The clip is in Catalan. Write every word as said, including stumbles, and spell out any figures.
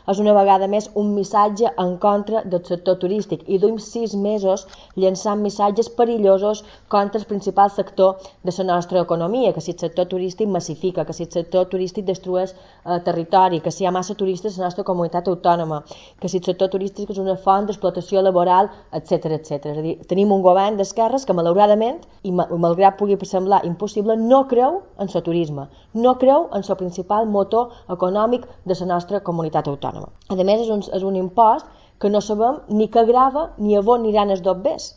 és una vegada més un missatge en contra del sector turístic i duim sis mesos llançant missatges perillosos contra el principal sector de la nostra economia, que si el sector turístic massifica, que si el sector turístic destrueix eh, territori, que si hi ha massa turistes a la nostra comunitat autònoma, que si el sector turístic és una font d'explotació laboral, etcètera etcètera. És a dir, tenim un govern d'esquerres que malauradament, i malgrat pugui semblar impossible, no creu en el turisme, no creu en el principal motor econòmic de la nostra comunitat autònoma. A més, és un, és un impost que no sabem ni què grava ni a on aniran els dobbers.